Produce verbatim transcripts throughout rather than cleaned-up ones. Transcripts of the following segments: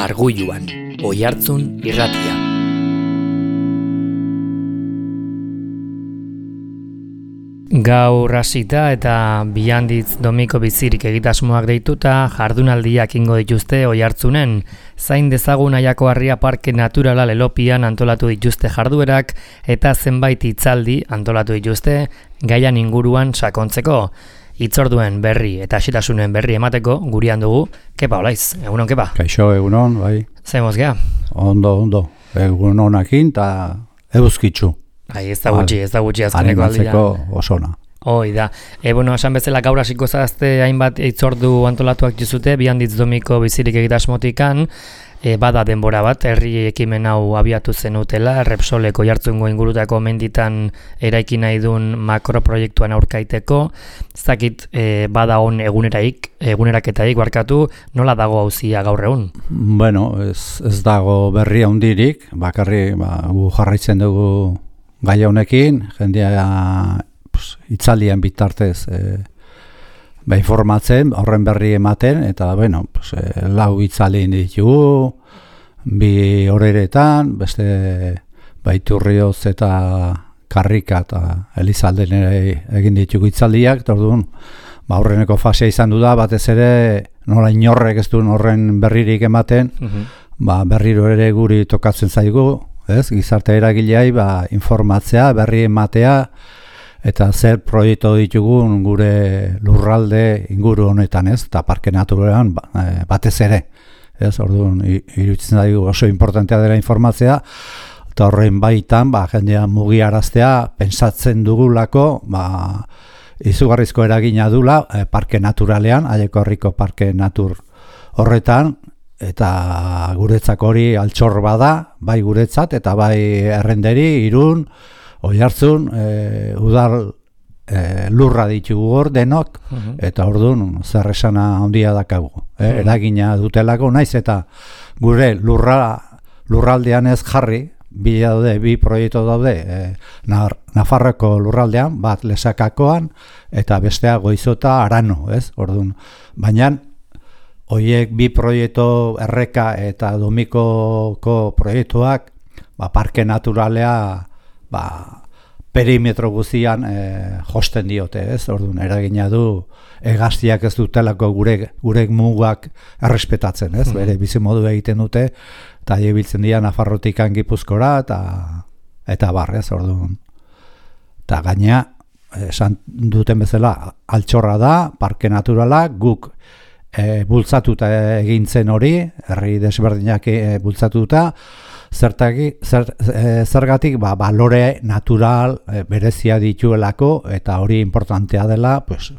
Arguluan, Oihartzun irratia. Gaur hasita eta bihanditz domiko bizirik egitasmoak deituta jardunaldiak ingo dituzte Oihartzunen. Zain dezagun Aiako Harria Parke Naturala Lelopian antolatu dituzte jarduerak eta zenbait hitzaldi antolatu dituzte gaian inguruan sakontzeko. Itzorduen berri eta xetasunen berri emateko gurian dugu, Kepa Olaiz, egunon Kepa? Kaixo, egunon, bai. Zemoz gea? Ondo, ondo, egunonakin eta euskitzu. Ai, ez da gutxi, ez da gutxi azkeneko aldia. Animatzeko osona. Hoi da. E, bueno, esan bezala gaur hasiko zazte hainbat itzordu antolatuak dizute, bihanditz domiko bizirik egitasmotikan, e, bada denbora bat, herri ekimen hau abiatu zenutela, Repsoleko Oihartzungo ingurutako menditan eraiki nahi duen makroproiektuan aurkaiteko, zakit e, bada on eguneraik, eguneraketaik barkatu, nola dago auzia gaur egun? Bueno, ez, ez dago berri handirik, bakarri ba, gu jarraitzen dugu gai honekin, jendea pues, itzaldian bitartez e, ba, informatzen, horren berri ematen, eta bueno, pues, e, lau itzalin ditugu, bi horeretan, beste Baiturrioz eta Karrika eta Elizalden ere egin ditugu itzaldiak, eta orduan, ba, horreneko fasea izan du da, batez ere nola inorrek ez duen horren berririk ematen, uh-huh. ba, berriro ere guri tokatzen zaigu, ez, gizarte eragileai ba, informatzea, berri ematea, eta zer proiektu ditugun gure lurralde inguru honetan, ez, eta parke naturalan ba, batez ere, ez, orduan, iruditzen zaigu oso importantea dela informatzea, eta horren baitan, ba, jendea mugiaraztea, pentsatzen dugulako, ba, izugarrizko eragina dula, e, parke naturalean, Aiako Harriko parke natur horretan, eta guretzak hori altxor bada, bai guretzat, eta bai Errenderi, Irun, Oihartzun, e, udal e, lurra ditugu hor denok, uh-huh. eta orduan zer esana handia dakagu. E, uh-huh. Eragina dutelako, naiz eta gure lurra, lurraldean ez jarri, bi, daude, bi proiektu daude, e, Nafarroko lurraldean, bat Lesakakoan, eta bestea Goizota Arano, ez? Orduan, baina hoiek bi proiektu Erreka eta Domikoko proiektuak, ba, parke naturalea, ba, perimetro guztian e, josten diote, ez? Orduan, eragina du hegaztiak ez dutelako gure gure mugak errespetatzen, ez? Bere bizimodu egiten dute eta ibiltzen dira Nafarrotikan Gipuzkora eta eta bar, ez? Orduan. Ta gaina esan duten bezala altxorra da, parke naturala, guk e, bultzatuta egintzen hori, herri desberdinak e, bultzatuta, Zertaki, zer, e, zergatik ba, balore natural e, berezia dituelako eta hori importantea dela, pues,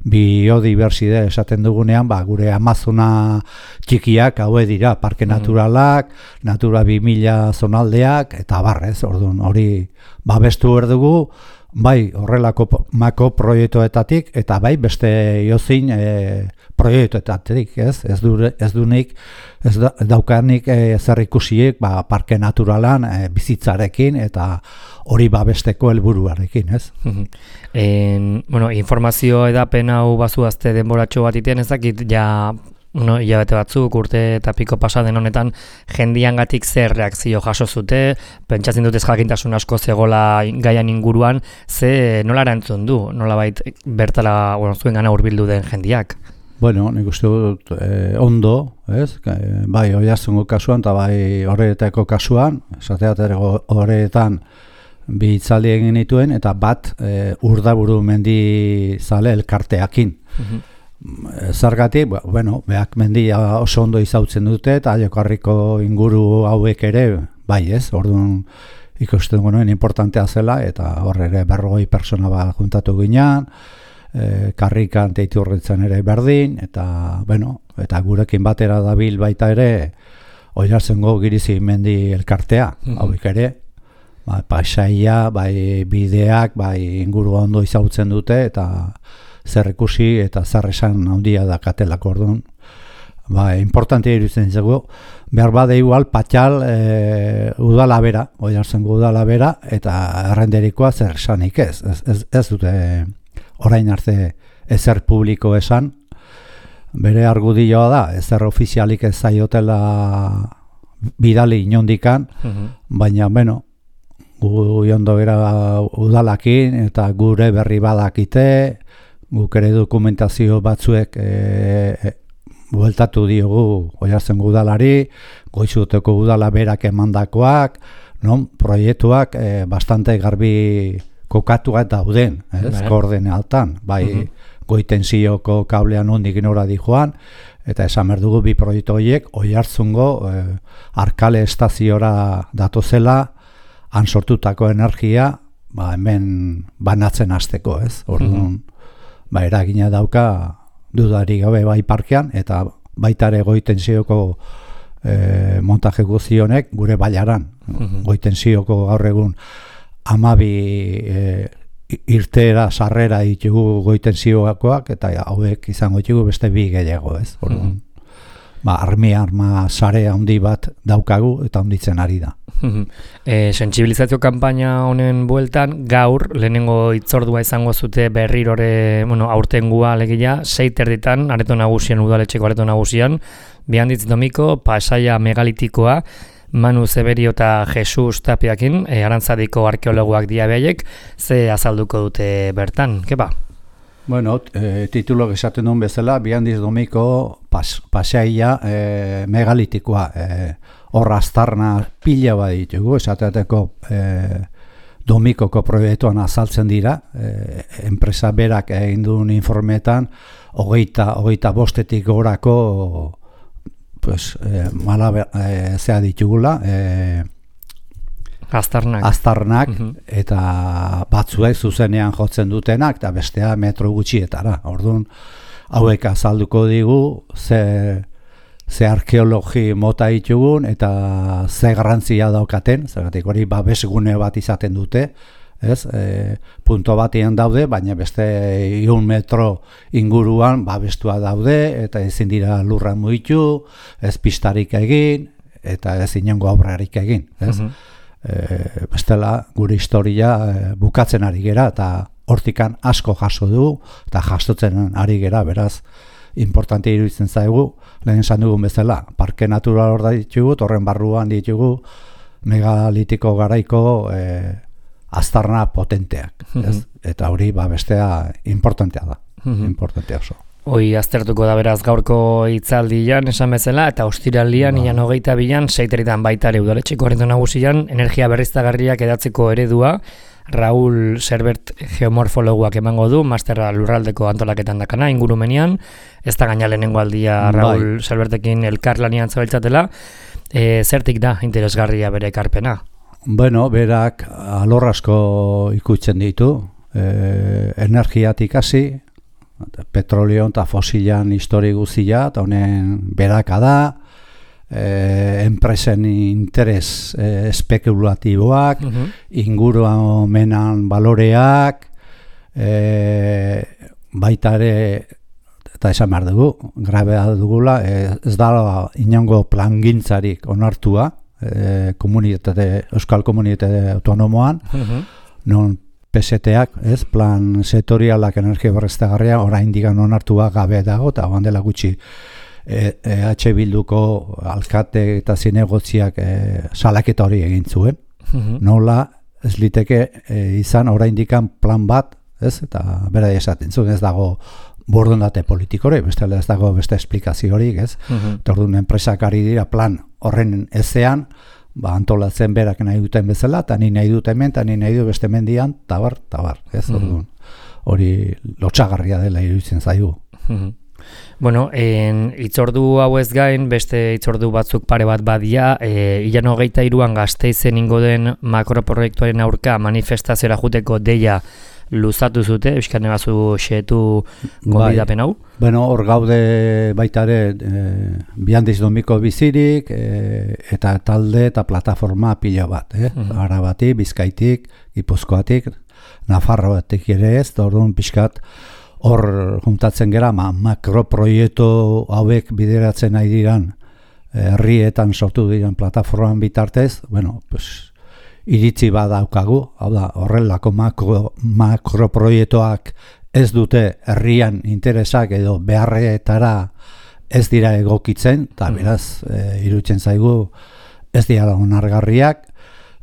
biodibertside esaten dugunean, ba, gure Amazona txikiak haue dira, parke naturalak, Natura bi mila zonaldeak, eta barrez, orduan hori babestu erdugu, bai horrelako mako proiektuetatik, eta bai beste iozin e, proiektuetatik, ez? Ez du, ez du nik, ez da, daukanik e, zer ikusiek ba, parke naturalan e, bizitzarekin eta hori babesteko helburuarekin, ez? Uh-huh. en, bueno, informazio edapen hau bazuazte denboratxo bat iten ezakit, ja no, hilabete batzuk, urte eta piko pasaden honetan jendiangatik zer reakzio jaso zute, pentsatzen dut ez jakintasun asko zegola gaian inguruan, ze nola erantzun du, nola bait bertala bueno, zuen gana hurbildu den jendiak? Bueno, nik uste dut eh, ondo, ez? Bai, Oihartzungo kasuan eta bai horretako kasuan, esateaterako horretan bi hitzaldi egin dituen, eta bat e, Urdaburu mendi zale elkarteakin. Uh-huh. Zergatik, bueno, beak mendia oso ondo izautzen dute, eta Aiako Harriko inguru hauek ere, bai ez, orduan ikusten genuen importantea zela, eta horre ere berrogei persona bat juntatu ginean, e, Karrikan Teiturritzen ere berdin, eta, bueno, eta gurekin batera dabil baita ere, Oihartzungo Girizi mendi elkartea, mm-hmm. hauek ere, ba, paisaia, bai bideak, bai inguru ondo izautzen dute, eta zer ikusi eta zer esan handia dakatelako orduan. Ba, importantea iruditzen zego, behar bade igual patxal e, udala bera, Oihartzungo udala bera, eta Errenderikoa zer esanik ez. Ez, ez, ez dute orain arte ezer publiko esan, bere argudioa da, ezer ofizialik ez zaiotela bidali inondikan, uh-huh. baina, bueno, gu jondo gara udalakin eta gure berri badakite, guk ere dokumentazio batzuek e, e, bueltatu diogu Oiartzen udalari, Goizuteko udala berak emandakoak, non, proiektuak e, bastante garbi kokatuak dauden, ez, koordenealtan, bai, uh-huh. Goitensioko kablean ondik nora di joan, eta esan berdugu bi proiektu horiek Oiartzungo e, Arkale estaziora datozela, han sortutako energia, ba, hemen banatzen hasteko, ez, orduan, uh-huh. ba, eragina dauka dudari gabe bai parkean, eta baitare Goitensioko e, montaje guztionek gure bailaran, uh-huh. Goitensioko gaur egun amabi e, irtera sarrera ditugu Goitensioakoak, eta hauek izango ditugu beste bi gehiago, ez? Orduan, uh-huh. ba, armi arma sare handi bat daukagu eta handitzen ari da. E, sentsibilizazio kanpaina honen bueltan, gaur, lehenengo hitzordua izango zute berrirore, bueno, aurtengua alegia, sei terditan, areto nagusian, udaletxeko areto nagusian, Bihanditz Domiko, pasaia megalitikoa, Manu Zeberio eta Jesus Tapiakin, e, Arantzadiko arkeologoak diabeiek, ze azalduko dute bertan, kepa? Bueno, e, titulo esaten duen bezala, Bihanditz Domiko pas, pasaia e, megalitikoa, e, hor aztarna pila bat ditugu, esateateko e, Domikoko proiektuan azaltzen dira, e, enpresa berak egin duen informetan, hogeita, hogeita bostetik gorako pues, e, mala e, zea ditugula, e, aztarnak, aztarnak uh-huh. eta batzuek zuzenean jotzen dutenak, eta bestea metro gutxietara. Orduan, hauek azalduko digu, ze... ze arkeologi mota ditugun eta ze garrantzia daukaten, zergatik hori babesgune bat izaten dute, ez? E, punto batean daude, baina beste ehun metro inguruan babestua daude, eta ezin dira lurra mugitu, ez pistarik egin, eta ez inongo obrarik egin, ez? Uh-huh. E, bestela gure historia e, bukatzen ari gera, eta hortikan asko jaso du, eta jasotzen ari gera, beraz, importante iruditzen zaigu, lehen esan dugun bezala, parke natural hor da ditugu, horren barruan ditugu megalitiko garaiko e, aztarna potenteak, ez? Eta hori ba, bestea importantea da, importantea oso. Hoi aztertuko da beraz gaurko hitzaldian esan bezala, eta ostiraldian, ba. Ian hogeita bilan, seiteritan baitare udaletxeko areto nagusian, energia berriztagarriak edatzeko eredua, Raul Serbert geomorfologuak emango du, masterra lurraldeko antolaketan dakana, ingurumenian, ez da gaina lehenengo aldia Raul bai. Serbertekin elkarlanian zabiltzatela, e, zertik da interesgarria bere ekarpena? Bueno, berak alor asko ikutzen ditu, e, energiatik hasi, petrolio eta fosilan histori guztia, eta honen beraka da, Eh, enpresen interes eh, espekulatiboak, uh-huh. ingurumenan baloreak, eh, baita ere, eta esan behar dugu, grabea dugula, eh, ez da inongo plangintzarik onartua, eh, komunitate, Euskal Komunitate Autonomoan, uh-huh. non P S T-ak, ez, plan sektorialak energia berriztagarria, oraindik onartua gabe dago, eta joan dela gutxi, E, e H Bilduko alkate eta zinegotziak e, salaketa hori egin zuen. Uh-huh. Nola ez liteke e, izan oraindikan plan bat, ez? Eta bera esaten zuen, ez dago borondate politikore, beste ez dago beste esplikazio horik, ez? Uh-huh. Orduan enpresak ari dira plan horren ezean, ba antolatzen berak nahi duten bezala, eta ni nahi dut hemen, eta ni nahi du beste mendian, tabar, tabar, ez? Uh-huh. Orduan hori lotsagarria dela iruditzen zaigu. Uh-huh. Bueno, en itzordu hau ez gain, beste itzordu batzuk pare bat badia, e, ilan hogeita iruan Gasteizen ingo den makroproiektuaren aurka manifestaziora juteko deia luzatu zute, euskane bazu xeetu gonbidapen hau? Bai. Bueno, hor gaude baita ere e, Bihanditz Domiko bizirik, e, eta talde eta plataforma pila bat, eh? Uh-huh. Arabati, Bizkaitik, Gipuzkoatik, Nafarroatik ere ez, orduan pixkat, hor juntatzen gera, ma, makroproiektu hauek bideratzen nahi diran, herrietan sortu diren plataforman bitartez, bueno, pues, iritzi badaukagu, hau da, horrelako makro, makroproiektuak ez dute herrian interesak edo beharretara ez dira egokitzen, eta beraz, e, iruditzen zaigu ez dira onargarriak,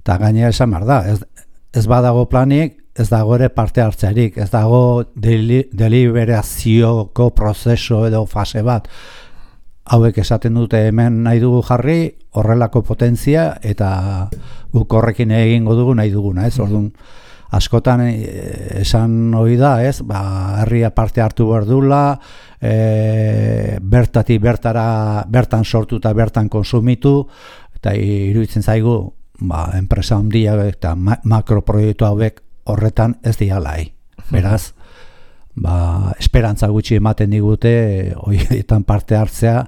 eta gainera esan behar da, ez, ez badago planik, ez dago ere parte hartzearik, ez dago deli, deliberazioko prozeso edo fase bat. Hauek esaten dute hemen nahi dugu jarri, horrelako potentzia, eta guk horrekin egingo dugu nahi duguna, ez? Orduan, askotan esan hori da, ez? Ba, herria parte hartu behar dula, e, bertatik bertara, bertan sortu eta bertan konsumitu, eta iruditzen zaigu, ba, enpresa handiak eta ma makroproiektu hauek horretan ez dialai. Beraz, ba, esperantza gutxi ematen digute horietan parte hartzea,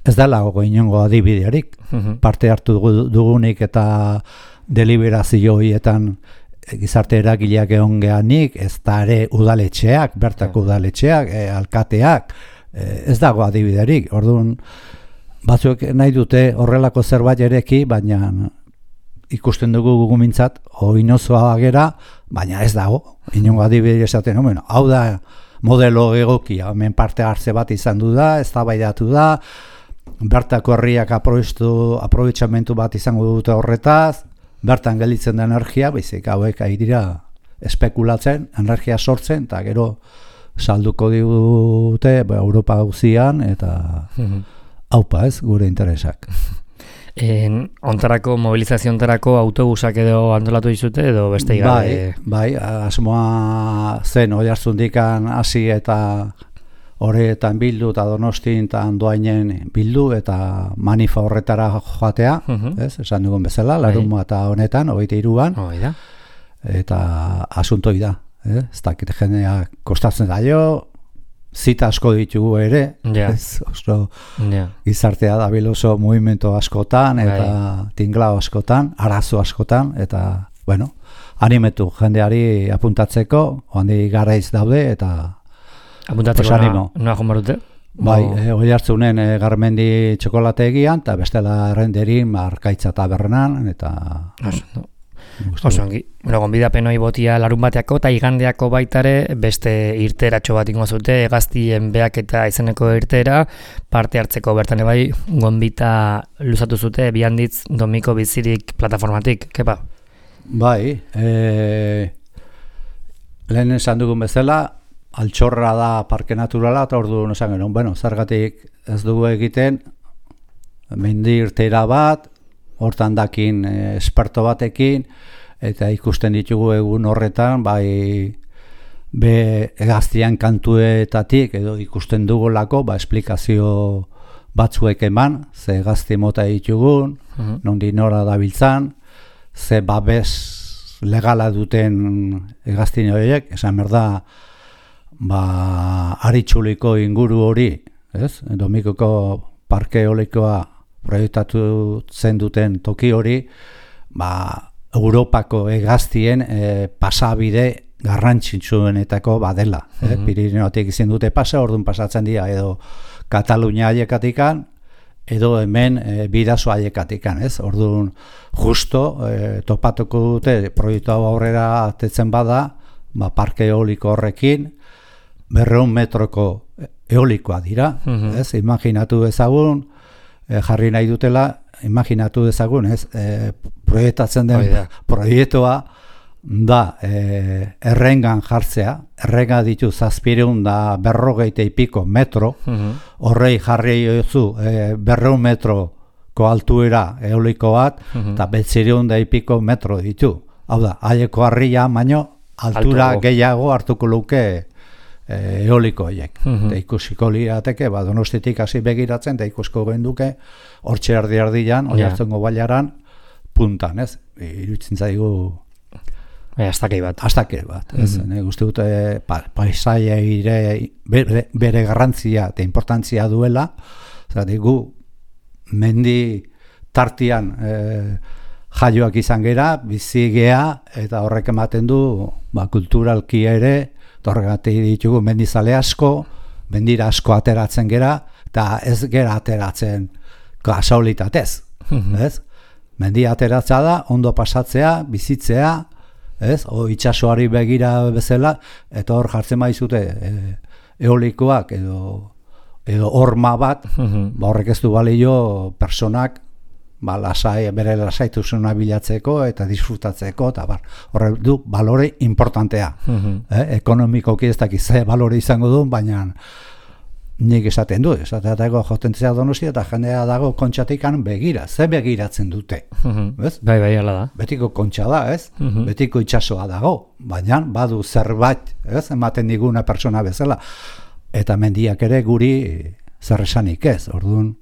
ez dela gogo inongo adibidearik. Parte hartu dugunik eta deliberazio horietan gizarte eragileak egon geanik, ez da ere udaletxeak, bertako udaletxeak, e, alkateak, e, ez dago adibidearik. Orduan, batzuk nahi dute horrelako zerbait ereki, baina ikusten dugu gugumintzat, oinozoa gera, baina ez dago, inongo adibide esaten, no, bueno, hau da modelo egokia, hemen parte hartze bat izan du da, eztabaidatu da, bertako herriak aprobetxamentu bat izango dute horretaz, bertan gelditzen da energia, baizik hauek ari dira espekulatzen, energia sortzen, eta gero salduko digute ba, Europa guztian, eta haupa ez, gure interesak. En, ontarako, mobilizazio ontarako autobusak edo antolatu dizute edo beste igabe? Bai, bai, asmoa zen Oiartzundikan hasi eta horretan bildu eta Donostin eta Andoainen bildu eta manifa horretara joatea, uh-huh. ez, esan dugun bezala, larun eta honetan, hogeita hiruan, oh, da. Eta asuntoi da, eh? Ez dakit jendea kostatzen da jo, zita asko ditugu ere, yeah. ez, oso yeah. gizartea da biloso movimento askotan, eta right. tinglao askotan, arazo askotan, eta, bueno, animetu jendeari apuntatzeko, handi garaiz daude, eta apuntatzeko noa, noa jombarute? Bai, oh. e, Oiartzunen e, Garmendi txokolategian, eta bestela errenderin Arkaitza tabernan, eta... Oso, no. Oso, ongi. Bueno, gonbidapen hori botia larun bateako eta igandeako baitare beste irteratxo bat ingo zute, Hegaztien behaketa izeneko irtera, parte hartzeko bertan bai gonbita luzatu zute, Bihanditz Domiko Bizirik plataformatik, kepa? Bai, e, lehen esan dugun bezala, altxorra da parke naturala, eta ordu esan genuen, bueno, zergatik ez dugu egiten, mendi irtera bat, hortan dakin esperto batekin, eta ikusten ditugu egun horretan, bai be Hegaztian kantuetatik, edo ikusten dugulako, ba, esplikazio batzuek eman, ze Hegazti mota ditugun, uh-huh. nondi nora dabiltzan, ze babes legala duten Hegaztin horiek, esan berda, ba, Aritxuliko inguru hori, ez? Domikoko parke eolikoa proiektatu zen duten toki hori, ba, Europako Hegaztien e, pasabide garrantzitsuenetako badela. Mm-hmm. eh? Pirineotik izin dute pasa, orduan pasatzen dira edo Katalunia haiekatikan, edo hemen e, bidazo haiekatikan. Ez? Orduan justo e, topatuko dute proiektu hau aurrera atetzen bada, ba, parke eoliko horrekin, berreun metroko eolikoa dira. Mm-hmm. Ez? Imaginatu ezagun, jarri nahi dutela, imaginatu dezagun, ez, e, proiektatzen den Oida. proiektua da e, errengan jartzea, errenga ditu zazpireun da berrogeita ipiko metro, uh-huh. horrei jarri jozu e, berreun metroko altuera eoliko bat, eta uh-huh. betzireun da ipiko metro ditu. Hau da, haieko harria, baino, altura Altuago. gehiago hartuko luke eoliko horiek. Uh-huh. Eta ikusiko lirateke, ba, Donostitik hasi begiratzen, eta ikusko genduke, hortxe erdi erdian, yeah. Oiartzungo bailaran, puntan, ez? Iruditzen zaigu... E, astakei bat. Astakei bat, ez? Uh-huh. Ne, guzti dute pa, paisaia ire, bere, bere garrantzia eta importantzia duela, zati gu mendi tartian e, jaioak izan gera, bizi gea, eta horrek ematen du, ba, kulturalki ere, horregatik ditugu mendizale asko, mendira asko ateratzen gera, eta ez gera ateratzen kasualitatez. Mm-hmm. Ez? Mendia ateratza da, ondo pasatzea, bizitzea, ez? O itsasoari begira bezala, eta hor jartzen baizute e, eolikoak edo edo horma bat, Mhm. ba horrek ez du balio personak ba lasai bere lasaitasuna bilatzeko eta disfrutatzeko eta bar. Horrek du balore importantea. Mhm. Eh, ekonomikoki ez dakit ze balore izango du, baina nik esaten du, esateatako jotentzea Donostia eta jendea dago kontxatikan begira, ze begiratzen dute, Mhm. ez? Bai, bai, hala da. Betiko kontxa da, ez? Mhm. Betiko itsasoa dago, baina badu zerbait, ez? Ematen diguna pertsona bezala. Eta mendiak ere guri zer esanik ez, orduan,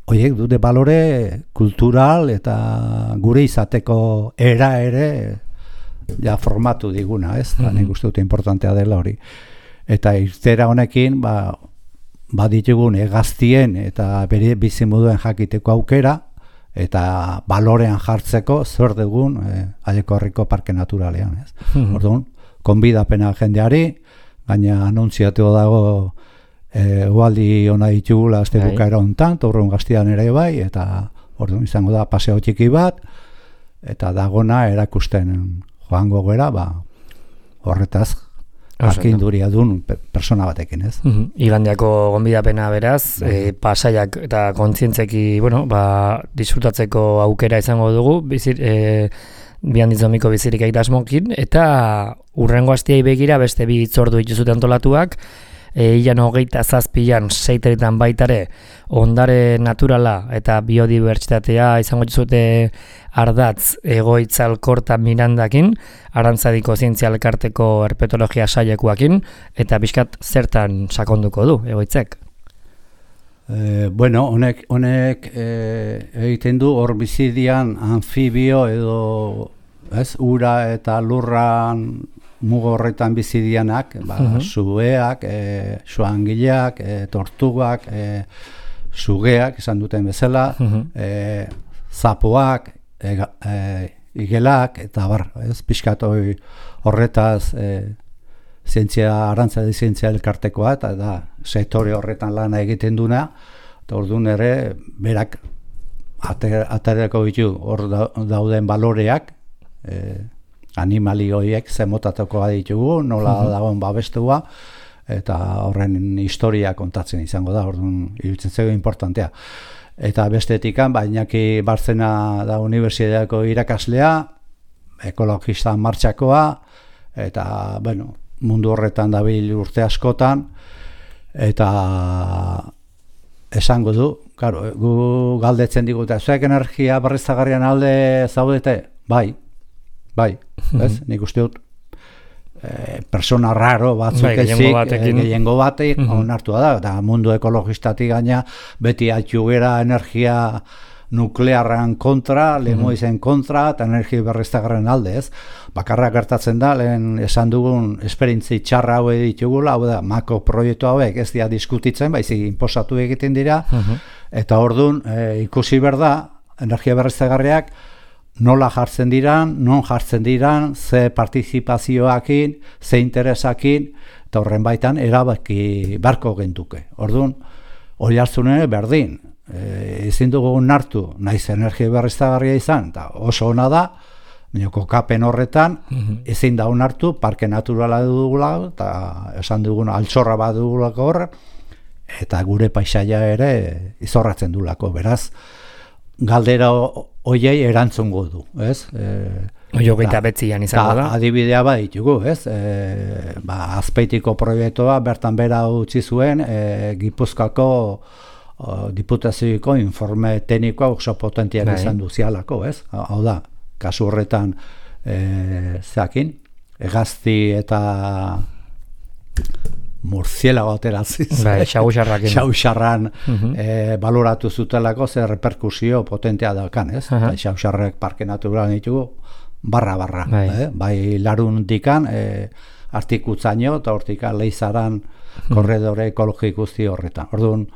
horiek dute balore kultural eta gure izateko era ere ja formatu diguna, ez? Mm-hmm. Nik uste dute importantea dela hori. Eta irtera honekin, ba, baditugun hegaztien eta bere bizimoduen jakiteko aukera, eta balorean jartzeko zer dugun e, Aieko Herriko Parke Naturalean, ez? Mhm. Orduan, konbidapena jendeari, gaina anuntziatu dago e, ualdi ona ditugula azte Bai. bukaera hontan, Torron Gaztian ere bai, eta orduan izango da paseo txiki bat, eta dagona erakusten joango gera, ba, horretaz arkinduria dun pe- persona batekin, ez? Mhm. Igandiako gonbidapena beraz, e, pasaiak eta kontzientzeki, bueno, ba, disfrutatzeko aukera izango dugu, bizir, e, bihandizomiko bizirik egitasmokin, eta urrengo astiai begira beste bi hitzordu dituzute antolatuak, e, ilan hogeita zazpian seiteretan baitare ondare naturala eta biodibertsitatea izango dituzute ardatz egoitza alkorta Mirandakin, Arantzadiko zientzia elkarteko herpetologia sailekuakin, eta bizkat zertan sakonduko du egoitzek. E, bueno, honek, honek e, egiten du hor bizidian anfibio edo ez, ura eta lurran mugo horretan bizidianak, ba, Mhm. sugeak, e, suangileak, e, tortugak, e, sugeak, esan duten bezala, Mhm. e, zapoak, e, e, igelak, eta bar, ez, pixkat hoi horretaz e, zientzia, Arantzadi zientzia elkartekoa, eta da, sektore horretan lana egiten duna, eta orduan ere, berak ater, aterako ditu hor da, dauden baloreak, e, animali horiek zemotatuko ditugu, nola Mhm. dagoen babestua, eta horren historia kontatzen izango da, orduan iruditzen zego importantea. Eta bestetikan, bainaki Barzena da unibertsitateko irakaslea, ekologista martxakoa, eta, bueno, mundu horretan dabil urte askotan, eta esango du, claro, gu galdetzen digute, zuek energia berriztagarrian alde zaudete? Bai, bai, ez? Nik uste dut, e, persona raro batzuk Bai, gehiengo ezik, batekin. e, gehiengo batek Mhm. onartua da, eta mundu ekologistatik gaina beti atxugera energia nuklearran kontra, lemoizen kontra, eta energia berriztagarren alde, ez? Bakarrak gertatzen da, lehen esan dugun esperientzi txarra hau ditugula, hau da, mako proiektu hauek ez dira diskutitzen, baizik inposatu egiten dira, Mhm. eta orduan e, ikusi behar da, energia berriztagarriak nola jartzen diran, non jartzen diran, ze partizipazioakin, ze interesakin, eta horren baitan erabaki barko gentuke. Orduan, hori hartzunen berdin, e, ezin dugu nartu, naiz energia berriztagarria izan, eta oso ona da, baina kokapen horretan, Mhm. ezin da onartu, parke naturala dugula, eta esan dugun altxorra bat dugulako hor, eta gure paisaia ere izorratzen dulako, beraz, galdera hoiei erantzungo du, ez? E, Hoi hogeita betzian izango da. adibidea bat ditugu, ez? E, ba, Azpeitiko proiektua bertan bera utzi zuen, e, Gipuzkoako o, diputazioiko informe teknikoa oso potentiak Bai. izan duzialako, ez? Hau da, kasu horretan e, zeakin, hegazti eta murzielago ateraziz. Bai, xagusarrakin. Xauxarran Mhm. e, baloratu zutelako zer reperkusio potentea daukan, ez? Aha. Eta Xauxarrek parke natural ditugu barra-barra. Bai. Eh? Bai larun dikan, e, artikutzaino eta hortikan leizaran korredore ekologiko guzti horretan. Orduan,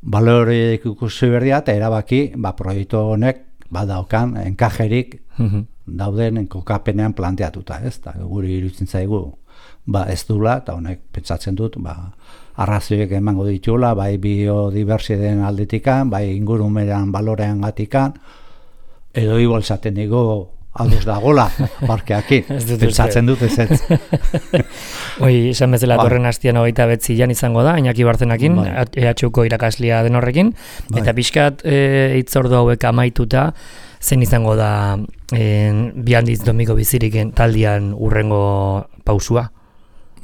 balore ikusi berdia eta erabaki, ba, proiektu honek badaukan enkajerik Mhm. dauden kokapenean planteatuta, ez? Ta guri iruditzen zaigu ba ez dula, eta honek pentsatzen dut, ba arrazioek emango ditula, bai biodibertsitateen aldetikan, bai ingurumenean balorean gatikan, edo igual esaten digo ados dagola, parkeakin, pentsatzen dut ez ez. Oi, esan bezala torren hastian hogeita betzian izango da, Iñaki Bartzenakin, E H Uko irakaslea den horrekin, bai. Eta pixkat e, itzordu hauek amaituta, zen izango da e, Bihandiz Domiko Biziriken taldean urrengo pausua?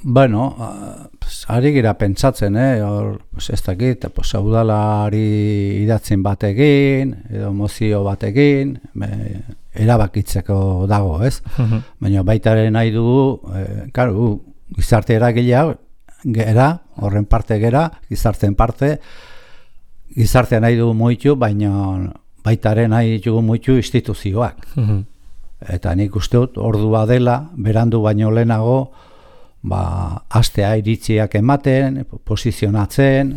Bueno, pues, ari gira pentsatzen, eh? Or, pues, ez dakit, pues, udalari idatzen batekin, edo mozio batekin, me, erabakitzeko dago, ez? Uh-huh. Baina baitaren nahi dugu, eh, karu, gizarte eragilea, gera, horren parte gera, gizarteen parte, gizartea nahi dugu muitu, baina baitaren nahi dugu muitu instituzioak. Uh-huh. Eta nik uste dut, ordua dela, berandu baino lehenago, ba, astea iritziak ematen, posizionatzen,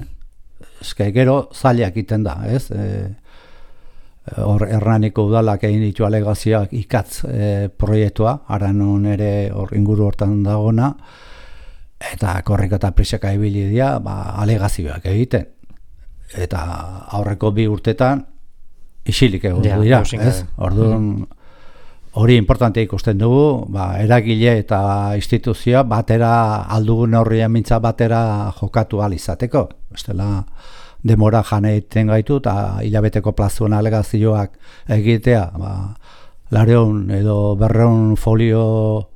eske gero zailak iten da, ez? E, hor Hernaniko udalak egin ditu alegazioak ikatz e, proiektua, Aranon ere hor inguru hortan dagona, eta korrika eta priseka ibili dira, ba, alegazioak egiten. Eta aurreko bi urtetan isilik egon ja, dira, ez? Orduan, mm. Hori importante ikusten dugu, ba, eragile eta instituzioa batera aldugun horrian mintza batera jokatu ahal izateko. Bestela demora jane egiten gaitu eta hilabeteko plazuen alegazioak egitea, ba, lareun edo berreun folio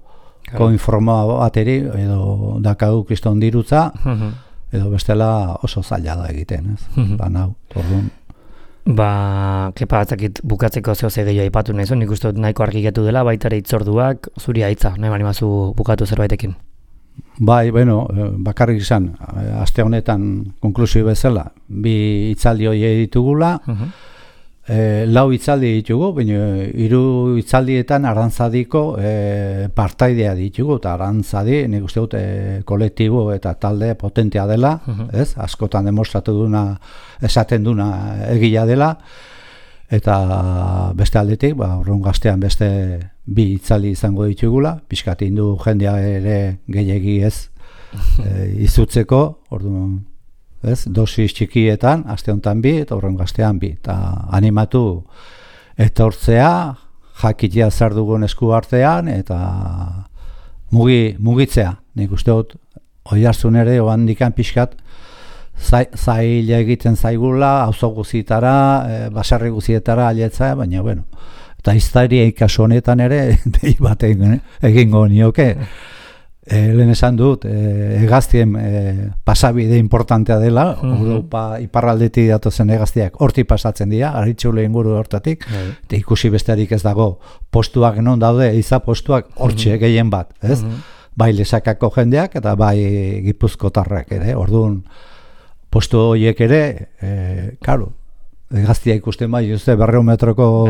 ko informaa bateri edo dakau kriston dirutza, uh-huh. edo bestela oso zaila da egiten, ez? Uh-huh. Ba, nau, orduan. Ba, kepa batzakit bukatzeko zeo zegeio aipatu nahi zuen, nik uste dut nahiko argiketu dela, baita ere itzorduak, zuri haitza, nahi bani mazu bukatu zerbaitekin. Bai, bueno, bakarrik izan, aste honetan konklusio bezala, bi hitzaldi hori ditugula, uh-huh. e, lau hitzaldi ditugu, baina hiru hitzaldietan Arantzadiko e, partaidea ditugu, eta Arantzadi, nik uste dut, e, kolektibo eta talde potentea dela, uh-huh. ez? Askotan demostratu duna, esaten duna egila dela, eta beste aldetik, ba, urrun gaztean beste bi hitzaldi izango ditugula, pixkat indu jendea ere gehiegi ez e, izutzeko, orduan, ez, dosis txikietan, aste honetan bi, eta urrun gaztean bi, eta animatu etortzea, jakitea zer dugun esku artean, eta mugi, mugitzea, nik uste dut, oihartzun ere, oan dikan pixkat, zaila egiten zaigula, auzo guztietara, e, baserri guztietara aletza, baina, bueno, eta iztaria ikaso honetan ere, dei bat egingo nioke. E, lehen esan dut, e, egaztien e, pasabide importantea dela, uh-huh. Europa iparraldetik datozen egaztiak horti pasatzen dira, Aritxule inguru hortatik, uh-huh. eta ikusi besterik ez dago, postuak non daude, eiza postuak hortxe uh-huh. gehien bat, ez? Uh-huh. Bai lesakako jendeak eta bai gipuzkotarrak ere, orduan, postu horiek ere, e, karo, egaztia ikusten bai, uste berreun metroko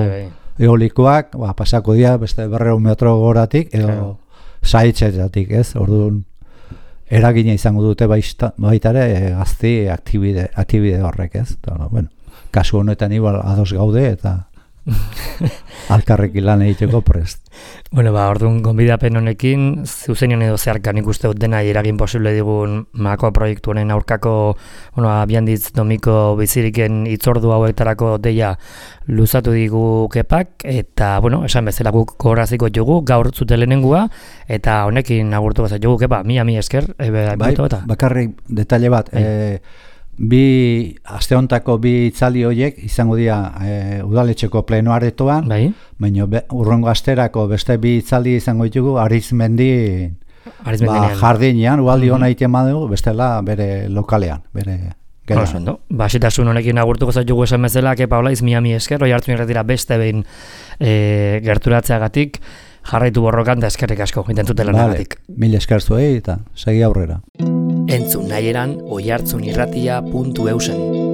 eolikoak, ba, pasako dira beste berreun metro goratik, edo claro. Saitzetatik, ez? Orduan, eragina izango dute baita, baita ere egazti aktibide, aktibide horrek, ez? Eta, bueno, kasu honetan igual ados gaude eta alkarrekin lan egiteko prest. Bueno, ba, orduan gonbidapen honekin, zuzenean edo zeharkan ikuste dut dena eragin posible digun Makoa proiektu honen aurkako, bueno, Bihandiz Domiko Biziriken itzordu hauetarako deia luzatu digu kepak, eta, bueno, esan bezala guk gogoraziko jugu, gaur zute lehenengua, eta honekin agurtu gazat jugu kepa, mila mi esker, ebe, bai, bakarrik detaile bat, e, bi aste hontako bi itzali horiek izango dira e, udaletxeko plenoaretoan, bai. Baina urrongo asterako beste bi itzali izango ditugu Arizmendi ba, jardinean, ualdi hona egiten badugu, bestela bere lokalean, bere geran. Ba, xetasun honekin agurtuko zaitu esan bezala, kepa hola izmiami esker, hoi hartu irretira beste behin e, gerturatzeagatik, jarraitu borrokan da eskerrik asko, intentutela negatik. Mil esker zuei eta segi aurrera. Entzun nahi eran oihartzunirratia puntu eusen.